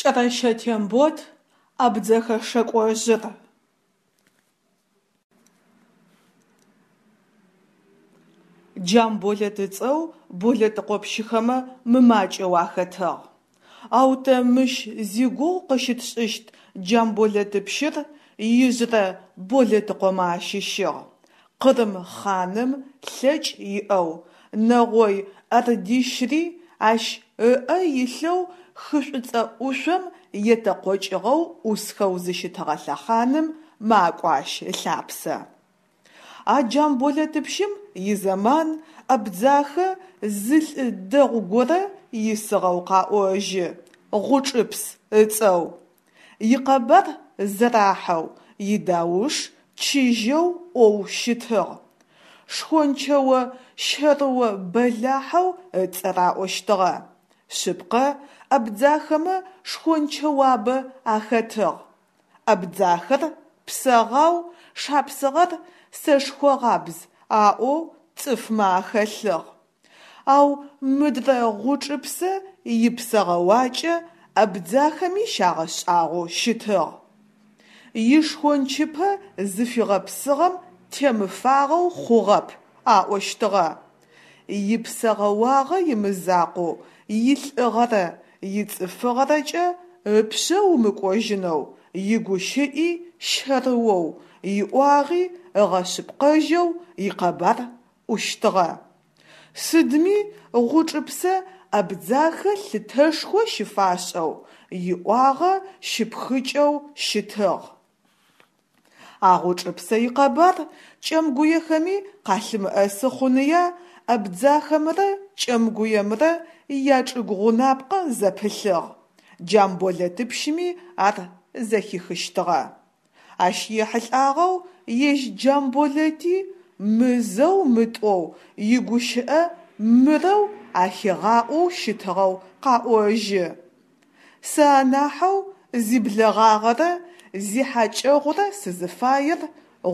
Кӏэрэщэ Тембот, Абдзэхэ шэкӏожъыр. Джамболэт ыцӏэу Болэтыкъопщыхэмэ мымакӏэу ахэтыгъ. Ау тэ мыщ зигугъу къыщытшӏыщт Джамболэтыпщыр ижъырэ Болэтыкъомэ ащыщыгъ. Къырым хъаным лъэкӏ иӏэу, нэгъой ордищри ащ ыӏэ илъэу хы Шӏуцӏэ ӏушъом етэкъокӏыгъэу ӏусхэу зыщытыгъэ лъэхъаным макӏо ащ ылъапсэ. А Джамболэтыпщым изэман Абдзахэ зы лӏы дэгъу горэ исыгъэу къаӏожьы, Гъучӏыпс ыцӏэу. Икъэбар зэрахьэу, идауш чыжьэу ӏоу щытыгъ. Шхончэо щэрыо бэлахьэу ыцӏэ раӏощтыгъэ. Шъыпкъэ, абдзахэмэ шхончэуабэ ахэтыгъ. Абдзахэр псэгъау, шапсыгъэр сэшхогъабз аӏоу цӏыфмэ ахэлъыгъ. Ау мыдрэ Гъучӏыпсэ ипсэгъэуакӏэ абдзахэми щагъэшӏагъоу щытыгъ. Ишхончыпэ зыфигъэпсыгъэм темыфагъэу хъугъэп, аӏощтыгъэ. Ипсэгъэуагъэ имызакъоу, илӏыгъэрэ ицӏыфыгъэрэкӏэ ыпшъэ умыкӏожьынэу, игущыӏи щэрыоу, иӏуагъи ыгъэшъыпкъэжьэу икъэбар ӏущтыгъэ. Сыдми Гъучӏыпсэ Абдзахэ лъытэшхо щыфашӏэу, иӏуагъэ щыпхыкӏэу щытыгъ. А Гъучӏыпсэ икъэбар кӏэмгуехэми къалъымыӏэсы хъуныя абдзахэмрэ кӏэмгуемрэ ячӏыгу гъунапкъэ зэпылъыгъ, Джамболэтыпщыми ар зэхихыщтыгъэ. Ащ ехьылӏагъэу ежь Джамболэти мызэу-мытӏоу игущыӏэ мырэу ахигъаӏоу щытыгъэу къаӏожьы. Сэ анахьэу зиблэгъагъэрэ зихьакӏэгъурэ сызыфаер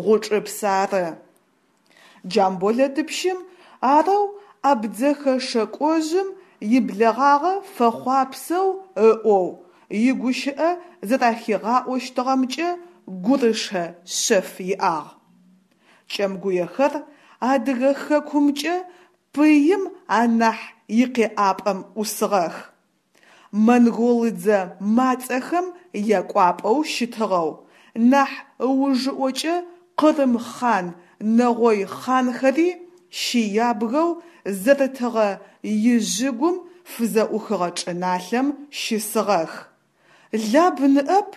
Гъучӏыпс ары. Джамболэтыпщым арэу абдзэхэ шэкӏожъым иблэгъагъэ фэхъуапсэу ыӏоу, игущыӏэ зэрахигъаӏощтыгъэмкӏэ гурышэ шъэф иӏагъ. Кӏэмгуехэр Адыгэ хэкумкӏэ пыим анахь икъеӏапӏэм ӏусыгъэх. Монголыдзэ мацӏэхэм якӏуапӏэу щытыгъэу, нахь ыужыӏокӏэ Къырым хъан, нэгъой хъанхэри щыябгэу зэрытыгъэ ижъыгум фызэӏухыгъэ чӏыналъэм щысыгъэх. Лаб ныӏэп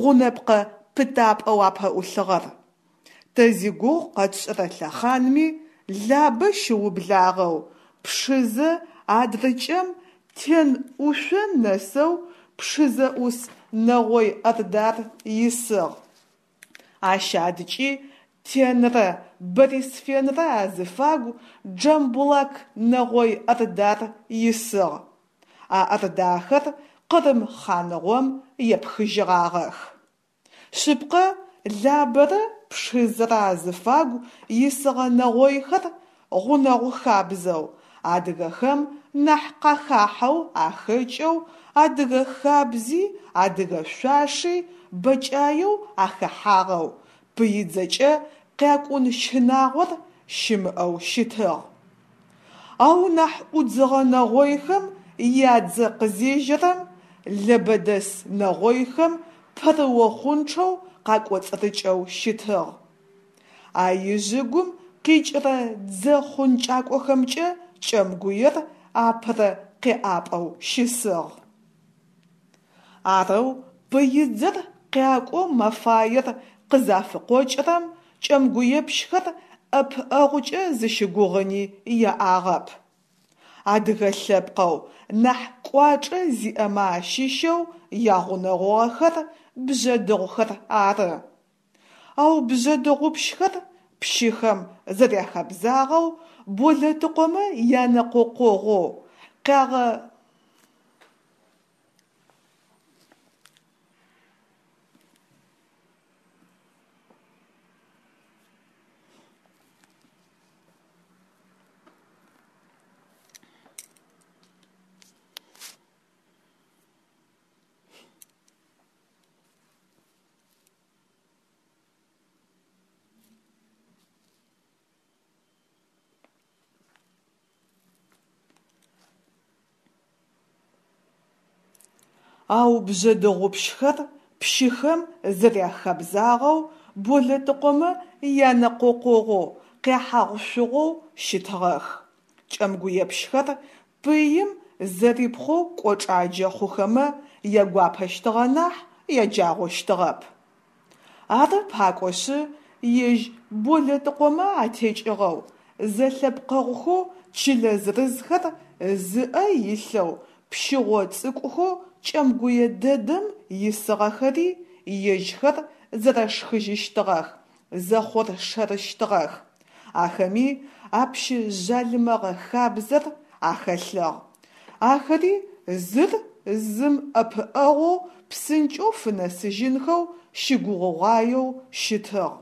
гъунэпкъэ пытапӏэу апэӏулъыгъэр. Тэ зигугъу къэтшӏырэ лъэхъанми Лабэ щыублагъэу Пшызэ адрыкӏэм Тен ӏушъо нэсэу Пшызэ ӏус Нэгъой Ордар исыгъ. Ащ адкӏи Тенрэ Борисфенрэ азыфагу Джамбулак Нэгъой Ордар исыгъ. А ордахэр Къырым хъаныгъом епхыжьыгъагъэх. Шъыпкъэ, Лабэрэ Пшызэрэ азыфагу исыгъэ нэгъойхэр гъунэгъу хабзэу, адыгэхэм нахь къахахьэу ахэкӏэу, адыгэ хабзи, адыгэ шъуаши бэкӏаеу ахэхьагъэу, пыидзэкӏэ къякӏун щынагъор щымыӏэу щытыгъ. Ау нахь ӏудзыгъэ нэгъойхэм ядзэ къызежьэрэм, лэбэдэс нэгъойхэм пэрыохъунчъэу къакӏоцӏырыкӏэу щытыгъ. А ижъыгум къикӏырэ дзэ хъункӏакӏохэмкӏэ Кӏэмгуер апэрэ къеӏапӏэу щысыгъ. Арэу пыидзэр къякӏоу мэфаер къызафыкъокӏырэм кӏэмгуепщхэр ӏэпыӏэгъукӏэ зыщыгугъыни яӏагъэп. Адыгэ лъэпкъэу нахь кӏуачӏэ зиӏэмэ ащыщэу ягъунэгъугъэхэр бжъэдыгъухэр ары. Ау бжъэдыгъупщхэр пщыхэм зэряхэбзагъэу Болэтыкъомэ янэкъокъогъоу, къягъэ. Ау бжъэдыгъупщхэр, пщыхэм зэряхэбзагъэу, Болэтыкъомэ янэкъокъогъоу, къяхьагъу-шъугъоу щытыгъэх. Кӏэмгуепщхэр пыим зэрипхъоу кӏочӏаджэ хъухэмэ ягуапэщтыгъэ нахь, яджагъощтыгъэп. Ары пакӏошъы, ежь Болэтыкъомэ атекӏыгъэу, зэлъэпкъэгъухэу чылэ зырызхэр зыӏэ илъэу пщыгъо цӏыкӏухэу кӏэмгуе дэдэм исыгъэхэри ежьхэр зэрэшхыжьыщтыгъэх, зэхъоршэрыщтыгъэх. Ахэми а пщы жъалымэгъэ хабзэр ахэлъыгъ. Ахэри зыр зым ӏэпыӏэгъоу псынкӏэу фынэсыжьынхэу щыгугъыгъуаеу щытыгъ.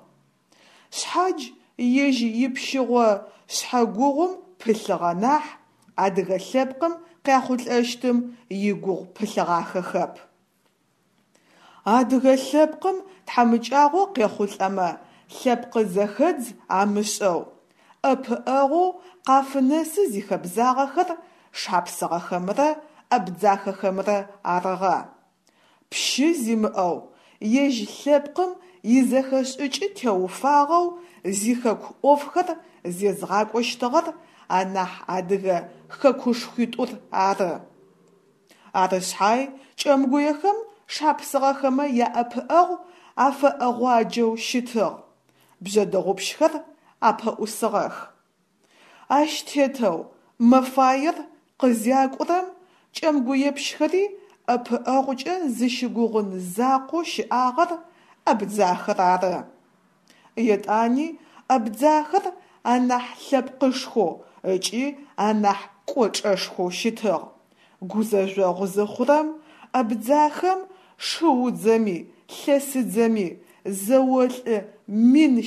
Шъхьадж ежь ипщыгъо шъхьэгугъум пылъыгъэ нахь, адыгэ лъэпкъым къяхъулӏэщтым игугъу пылъыгъахэхэп. Адыгэ лъэпкъым тхьамыкӏагъо къехъулӏэмэ, лъэпкъ зэхэдз амышӏэу, ӏэпыӏэгъоу къафынэсы зихэбзагъэхэр шапсыгъэхэмрэ абдзахэхэмрэ арыгъэ. Пщы зимыӏэу, ежь лъэпкъым изэхэшӏыкӏ теуфагъэу зихэку ӏофхэр зезгъакӏощтыгъэр анахь адыгэ хэкушхуитӏур ары. Ары шъхьай кӏэмгуехэм шапсыгъэхэмэ яӏэпыӏэгъу афэӏэгъуаджэу щытыгъ, бжъэдыгъупщхэр апэӏусыгъэх. Ащ тетэу мэфаер къызякӏурэм кӏэмгуепщхэри ӏэпыӏэгъукӏэ зыщыгугъын закъоу щыӏагъэр абдзахэр ары. Етӏани абдзахэр анахь лъэпкъышхоу ыкӏи анахь кӏочӏэшхоу щытыгъ. Гузэжъогъу зыхъурэм абдзахэм шыудзэми лъэсыдзэми зэолӏы 100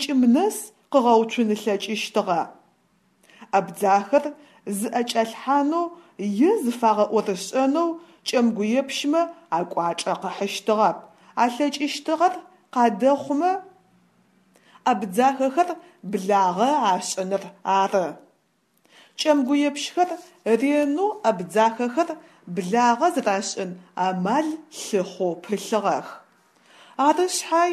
000 нэс къыгъэуцун ылъэкӏыщтыгъэ. Абдзахэр зыӏэкӏалъхьанэу е зыфагъэӏорышӏэнэу кӏэмгуепщмэ акӏуачӏэ къыхьыщтыгъэп, алъэкӏыщтыгъэр къадэхъумэ абдзахэхэр благъэ ашӏыныр ары. Кӏэмгуепщхэр ренэу абдзахэхэр благъэ зэрашӏын амал лъыхъоу пылъыгъэх. Ары шъхьай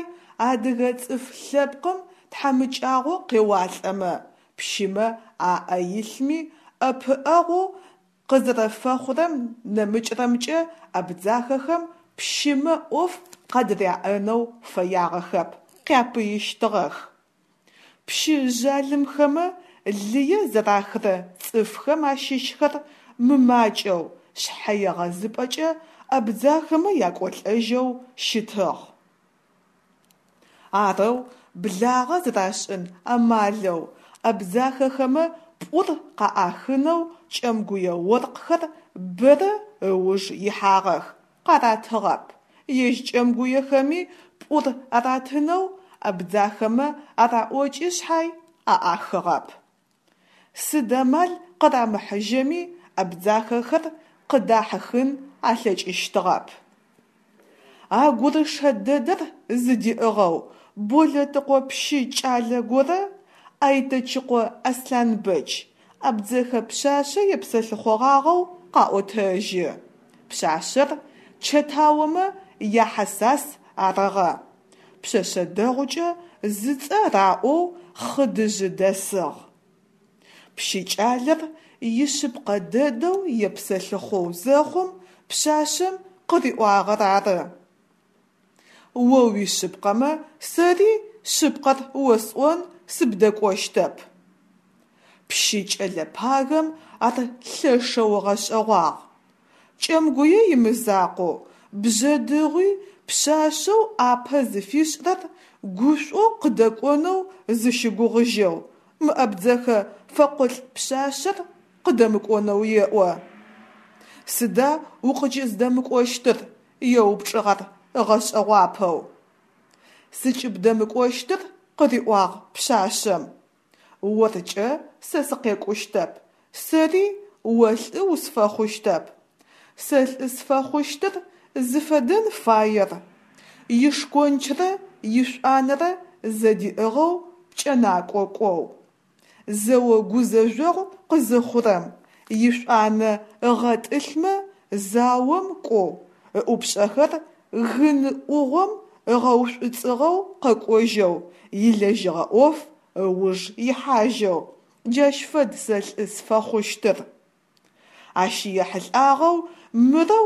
адыгэ цӏыф лъэпкъым тхьамыкӏагъо къеуалӏэмэ, пщымэ аӏэ илъми ӏэпыӏэгъоу къызэрэфэхъурэм нэмыкӏрэмкӏэ абдзахэхэм пщымэ ӏоф къадыряӏэнэу фэягъэхэп, къяпыищтыгъэх. Пщы жъалымхэмэ лые зэрахырэ цӏыфхэм ащыщхэр мымакӏэу шъхьэегъэзыпӏэкӏэ абдзахэмэ якӏолӏэжьэу щытыгъ. Арэу благъэ зэрашӏын амалэу абдзахэхэмэ пӏур къаӏахынэу кӏэмгуе оркъхэр бэрэ ыуж ихьагъэх, къаратыгъэп. Ежь кӏэмгуехэми пӏур аратынэу абдзахэмэ араӏокӏи шъхьай аӏахыгъэп. Сыд амал къырамыхьыжьэми абдзахэхэр къыдахьыхын алъэкӏыщтыгъэп. А гурышэ дэдэр зыдиӏыгъэу Болэтыкъо пщы кӏалэ горэ, Айтэчыкъо Аслъанбэч, абдзэхэ пшъашъэ епсэлъыхъогъагъэу къаӏотэжьы. Пшъашъэр Чэтаомэ я Хьэсас арыгъэ. Пшъэшъэ дэгъукӏэ зыцӏэ раӏоу Хъыдыжъы дэсыгъ. Пщы кӏалэр ишъыпкъэ дэдэу епсэлъыхъоу зэхъум пшъашъэм къыриӏуагъэр ары: О уишъыпкъэмэ, сэри шъыпкъэр осӏон, сыбдэкӏощтэп. Пщы кӏэлэ пагэм ар лъэшэу ыгъэшӏэгъуагъ. Кӏэмгуе имызакъоу, Бжъэдыгъуи пшъашъэу ӏапэ зыфишӏырэр гушӏоу къыдэкӏонэу зыщыгугъыжьэу, мы абдзэхэ фэкъолӏ пшъашъэр къыдэмыкӏонэу еӏо. Сыда укъыкӏыздэмыкӏощтыр? еупчӏыгъ ар ыгъэшӏэгъуапэу. Сыкӏыбдэмыкӏощтыр, къыриӏуагъ пшъашъэм, оркӏэ сэ сыкъекӏущтэп, сэри о лӏы усфэхъущтэп. Сэ лӏы сфэхъущтыр зыфэдэн фаер ишкончрэ ишӏуанэрэ зэдиӏыгъэу пкӏэнакӏо кӏоу. Зэо гузэжъогъу къызыхъурэм, ишӏуанэ ыгъэтӏылъмэ заом кӏоу, Ыӏупшӏэхэр гын ӏугъом ыгъэушӏуцӏыгъэу къэкӏожьэу, илэжьыгъэ ӏоф ыуж ихьажьэу, джащ фэд сэ лӏы сфэхъущтыр. Ащ ехьылӏагъэу мырэу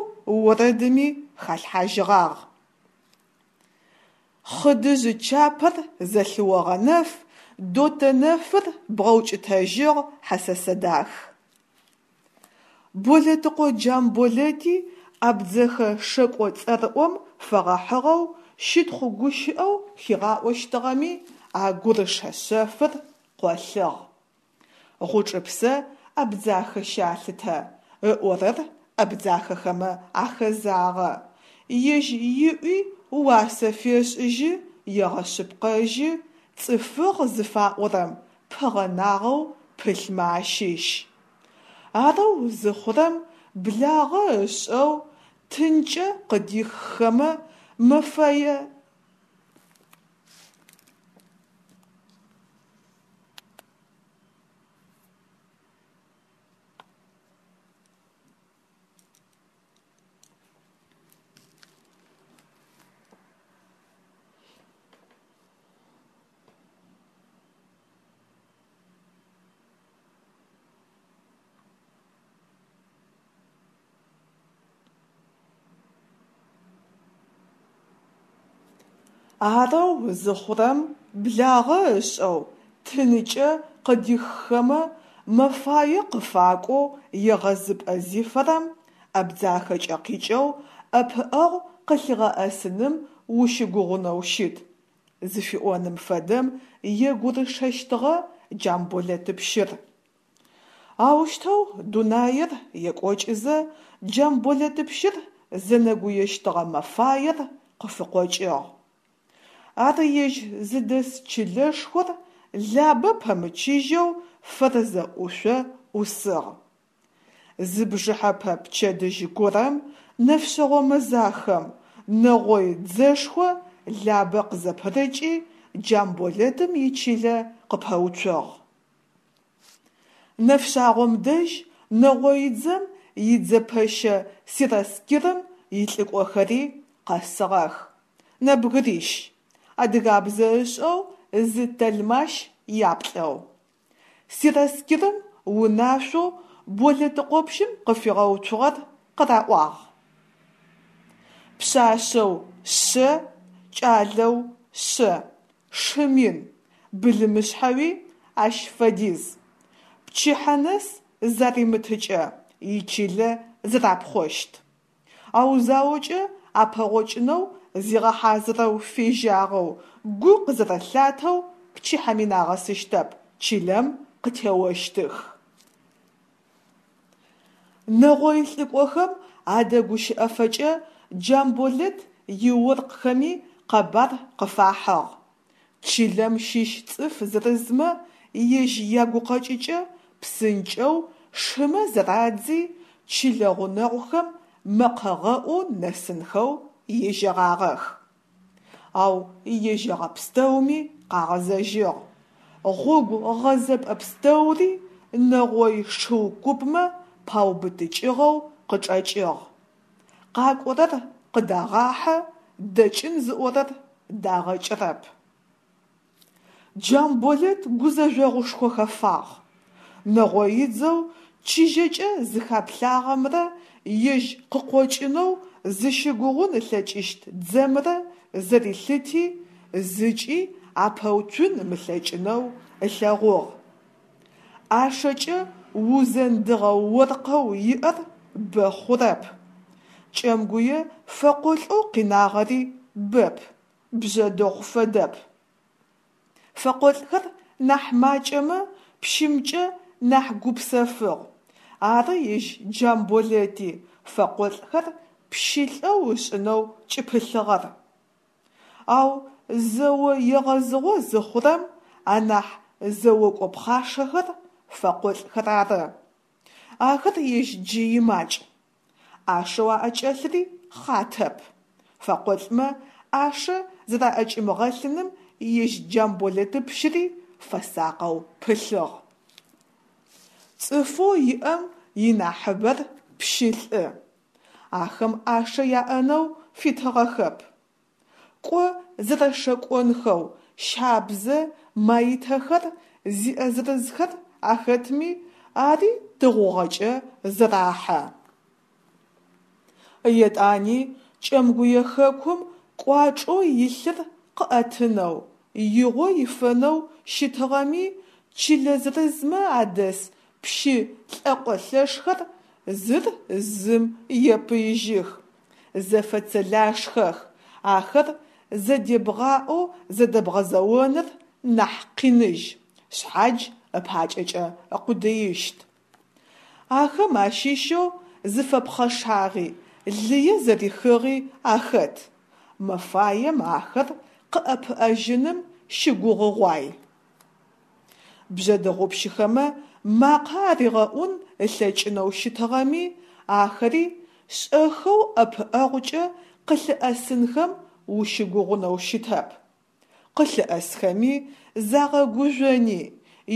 орэдыми халъхьажьыгъагъ. Хъыдыжъ чапэр зэлъыогъэнэф, Дотэ нэфыр бгъэукӏытэжьыгъ хьэсэсэ дах. Болэтыкъо Джамболэти абдзэхэ шэкӏо цӏэрыӏом фэгъэхьыгъэу щытхъу гущыӏэу хигъаӏощтыгъэми а гурышэ шъэфыр къолъыгъ. Гъучӏыпсэ Абдзахэ щалъытэ, ыӏорэр абдзахэхэмэ ахэзагъэ, ежь иӏуи уасэ фешӏыжьы, егъэшъыпкъэжьы, цӏыфыгъ зыфаӏорэм пыгъэнагъэу пылъмэ ащыщ. Арэу зыхъурэм, благъэ ышӏэу, тынкӏэ къыдиххэмэ, мэфэе. Арэу зыхъурэм, благъэ ышӏэу, тынкӏэ къыдиххэмэ, мэфае къыфакӏоу егъэзыпӏэ зифэрэм Абдзахэкӏэ къикӏэу ӏэпыӏэгъу къылъигъэӏэсыным ущыгугъынэу щыт, зыфиӏоным фэдэм егурышэщтыгъэ Джамболэтыпщыр. Аущтэу дунаир екӏокӏызэ, Джамболэтыпщыр зэнэгуещтыгъэ мэфаер къыфыкъокӏыгъ. Ар ежь зыдэс чылэшхор Лабэ пэмычыжьэу Фэрзэ ӏушъо ӏусыгъ. Зы бжыхьэпэ пчэдыжь горэм, нэфшъэгъо мэзахэм, нэгъой дзэшхо Лабэ къызэпырыкӏи, Джамболэтым ичылэ къыпэуцугъ. Нэфшъагъом дэжь нэгъоидзэм идзэпэщэ сераскирым илӏыкӏохэри къэсыгъэх. Нэбгырищ, адыгабзэ ышӏэу зы тэлмащ яплӏэу. Сераскирым унашъоу Болэтыкъопщым къыфигъэуцугъэр къыраӏуагъ. Пшъашъэу шъэ, кӏалэу шъэ, шы мин, былымышъхьэуи ащ фэдиз. Пчыхьэ нэс заримытыкӏэ, ичылэ зэрапхъощт. Ау заокӏэ апэгъокӏынэу зигъэхьазырэу фежьагъэу, гу къызэрэлъатэу пчыхьэми нагъэсыщтэп, чылэм къытеощтых. Нэгъой лӏыкӏохэм адэгущыӏэфэкӏэ Джамболэт иоркъхэми къэбар къыфахьыгъ. Чылэм щыщ цӏыф зырызмэ ежь ягукъэкӏыкӏэ псынкӏэу шымэ зырадзи, чылэ гъунэгъухэм мэкъэгъэӏоу нэсынхэу ежьэгъагъэх. Ау ежьэгъэ пстэуми къагъэзэжьыгъ. Гъогу гъэзэпӏэ пстэури нэгъой шыу купмэ паубытыкӏыгъэу къычӏэкӏыгъ. Къакӏорэр къыдагъахьэ, дэкӏын зыӏорэр дагъэкӏырэп. Джамболэт гузэжъогъушхо хэфагъ. Нэгъоидзэу чыжьэкӏэ зыхаплъагъэмрэ ежь къыкъокӏынэу зыщыгугъун ылъэкӏыщт дзэмрэ зэрилъыти, зыкӏи апэуцун ымылъэкӏынэу ылъэгъугъ. ӏашэкӏэ узэндыгъэ оркъэу иӏэр бэ хъурэп. Кӏэмгуе фэкъолӏэу къинагъэри бэп, Бжъэдыгъу фэдэп. Фэкъолӏхэр нахь макӏэмэ, пщымкӏэ нахь гупсэфыгъ. Ары ежь Джамболэти фэкъолӏхэр пщылӏэу ышӏынэу кӏыпылъыгъэр. Ау зэо егъэзыгъо зыхъурэм анахь зэокӏо пхъашэхэр фэкъолӏхэр ары. Ахэр ежь джы имакӏ. ӏашэу аӏэкӏэлъри хъатэп. Фэкъолӏмэ ӏашэ зэраӏэкӏимыгъэлъыным ежь Джамболэтыпщыри фэсакъэу пылъыгъ. Цӏыфэу иӏэм инахьыбэр пщылӏы. Ахэм ӏашэ яӏэнэу фитыгъэхэп. Кӏо зэрэшэкӏонхэу щабзэ маитэхэр зиӏэ зырызхэр ахэтми, ари тыгъугъэкӏэ зэрахьэ. Етӏани Кӏэмгуе хэкум кӏуачӏэу илъыр къыӏэтынэу, игъо ифэнэу щытыгъэми, чылэ зырызмэ адэс пщы лӏэкъолъэшхэр зыр зым епыижьых, зэфэцэлашхэх, ахэр зэдебгъаӏоу зэдэбгъэзэоныр нахь къиныжь, шъхьадж ыпакӏэкӏэ ыкъудыищт. Ахэм ащыщэу зыфэпхъэшагъи, лые зэрихыгъи ахэт. Мэфаем ахэр къыӏэпыӏэжьыным щыгугъыгъуай. Бжъэдыгъупщыхэмэ макъэ аригъэӏун ылъэкӏынэу щытыгъэми, ахэри шӏэхэу ӏэпыӏэгъукӏэ къылъыӏэсынхэм ущыгугъунэу щытэп. Къылъыӏэсхэми загъэгужъони,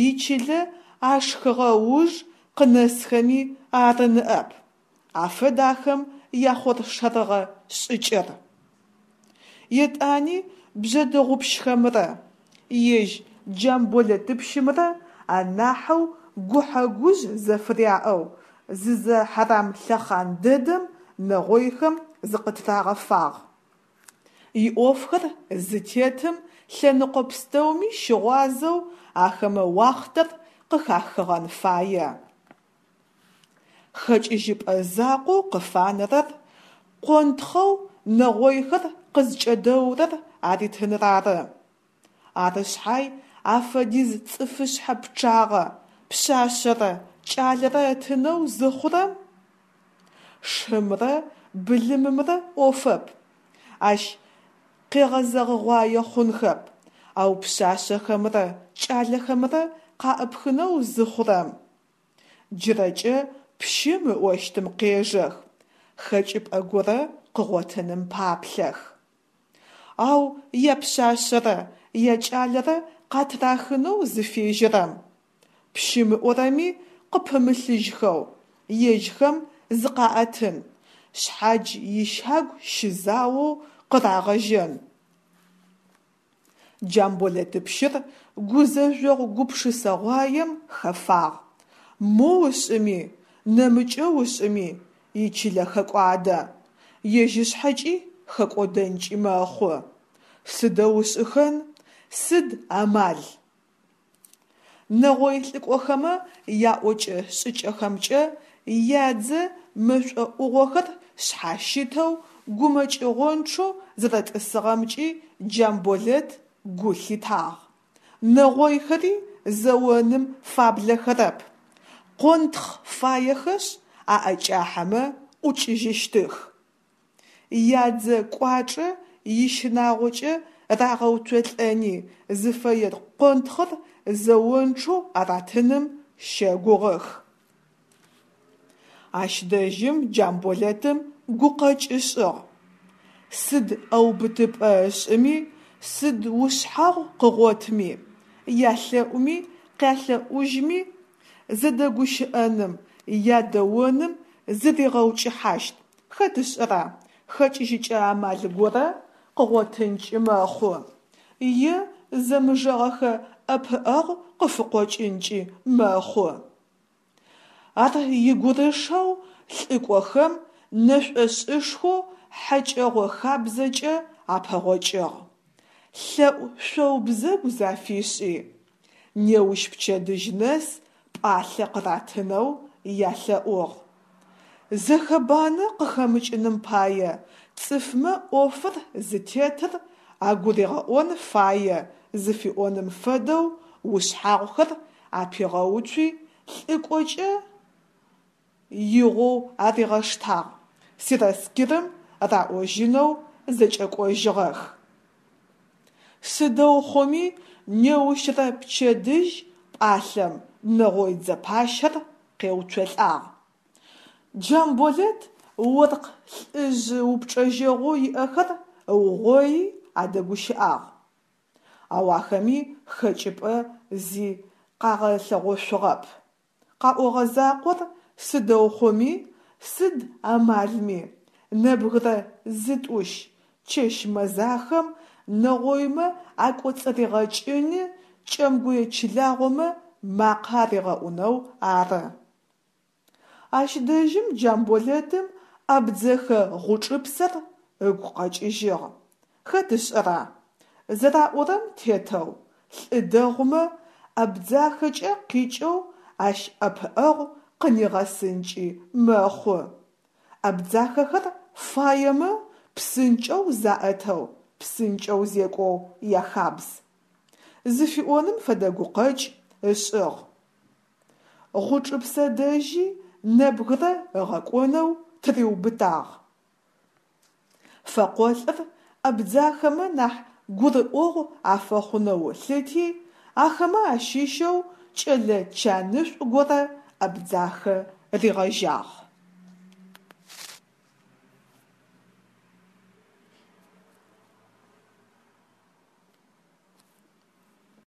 ичылэ ашхыгъэ ыуж къынэсхэми ары ныӏэп. Афэд ахэм яхъоршэрыгъэ шӏыкӏэр. Етӏани бжъэдыгъупщхэмрэ ежь Джамболэтыпщымрэ анахьэу гухьэ-гужъ зэфыряӏэу зызэхьэрам лъэхъан дэдэм нэгъойхэм зыкъытырагъэфагъ. Иӏофхэр зытетым лъэныкъо пстэуми щыгъуазэу ахэмэ уахътэр къыхахыгъэн фае. Хэкӏыжьыпӏэ закъоу къыфанэрэр къонтхъэу нэгъойхэр къызкӏэдэурэр аритыныр ары. Ары шъхьай афэдиз цӏыфышъхьэ пчъагъэ, пшъашъэрэ кӏалэрэ ытынэу зыхъурэм, шымрэ былымымрэ ӏофэп, ащ къегъэзэгъыгъуае хъунхэп, ау пшъашъэхэмрэ кӏалэхэмрэ къаӏыпхынэу зыхъурэм, джырэкӏэ пщым ыӏощтым къежэх, хэкӏыпӏэ горэ къыгъотыным паплъэх. Ау япшъашъэрэ якӏалэрэ къатырахынэу зыфежьэрэм, пщым ыӏорэми къыпымылъыжьхэу, ежьхэм зыкъаӏэтын, шъхьадж ищагу щызаоу къырагъэжьэн. Джамболэтыпщыр гузэжъогъу-гупшысэгъуаем хэфагъ. Моу ышӏыми, нэмыкӏэу ышӏыми, ичылэ хэкӏуадэ. Ежь ышъхьэкӏи хэкӏодэнкӏи мэхъу. Сыдэу ышӏыхэн, сыд амал? Нэгъой лӏыкӏохэмэ яӏокӏэ-шӏыкӏэхэмкӏэ ядзэ мэшӏо ӏугъохэр шъхьащытэу гумэкӏыгъончъэу зэрэтӏысыгъэмкӏи Джамболэт гу лъитагъ. Нэгъойхэри зэоным фаблэхэрэп. Къонтхъ фаехэшъ, аӏэкӏахьэмэ ӏукӏыжьыщтых. Ядзэ кӏуачӏэ ищынагъокӏэ рагъэуцолӏэни, зыфэе къонтхъыр зэончъэу аратыным щэгугъых. Ащ дэжьым Джамболэтым гукъэкӏ ышӏыгъ. Сыд ӏэубытыпӏэ ышӏыми, сыд ушъхьагъу къыгъотми, ялъэӏуми къялъэӏужьми, зэдэгущыӏэным, ядэоным зыригъэукӏыхьащт, хэт ышӏэра, хэкӏыжьыкӏэ амал горэ къыгъотынкӏи мэхъу, е зэмыжэгъэхэ ӏэпыӏэгъу къыфыкъокӏынкӏи мэхъу. Ар игурышэу лӏыкӏохэм нэшӏошӏышхоу хьэкӏэгъо хабзэкӏэ апэгъокӏыгъ. Лъэӏу шъоу-бзэгу зафишӏи, неущ пчэдыжь нэс пӏалъэ къыратынэу ялъэӏугъ. Зэхэбанэ къыхэмыкӏыным пае цӏыфмэ ӏофыр зытетыр агуригъэӏон фае зыфиӏоным фэдэу ушъхьагъухэр апигъэуцуи, лӏыкӏокӏэ игъоу аригъэштагъ, сераскирым раӏожьынэу зэкӏэкӏожьыгъэх. Сыдэу хъуми, неущрэ пчэдыжь пӏалъэм нэгъой дзэпащэр къеуцолӏагъ. Джамболэт оркъ лӏыжъ упчӏэжьэгъоу иӏэхэр ыугъои адэгущыӏагъ. Ау ахэми хэкӏыпӏэ зи къагъэлъэгъошъугъэп. Къаӏогъэ закъор сыдэу хъуми, сыд амалми, Нэбгырэ зытӏущ чэщ мэзахэм нэгъоймэ акӏоцӏыригъэкӏыни, кӏэмгуе чылагъомэ макъэ аригъэӏунэу ары. Ащ дэжьым Джамболэтым абдзэхэ гъучӏыпсэр ыгу къэкӏыжьыгъ. Хэт ышӏэра, зэраӏорэм тетэу, лӏы дэгъумэ, Абдзахэкӏэ къикӏэу ащ ӏэпыӏэгъу къынигъэсынкӏи мэхъу. Абдзахэхэр фаемэ, псынкӏэу заӏэтэу, псынкӏэу зекӏоу яхабз. Зыфиӏоным фэдэ гукъэкӏ ышӏыгъ. Гъучӏыпсэ дэжьи нэбгырэ ыгъэкӏонэу тыриубытагъ. Фэкъолӏыр абдзахэмэ нахь гурыӏогъу афэхъунэу ылъыти, ахэмэ ащыщэу кӏэлэ чанышӏу горэ Абдзахэ ригъэжьагъ.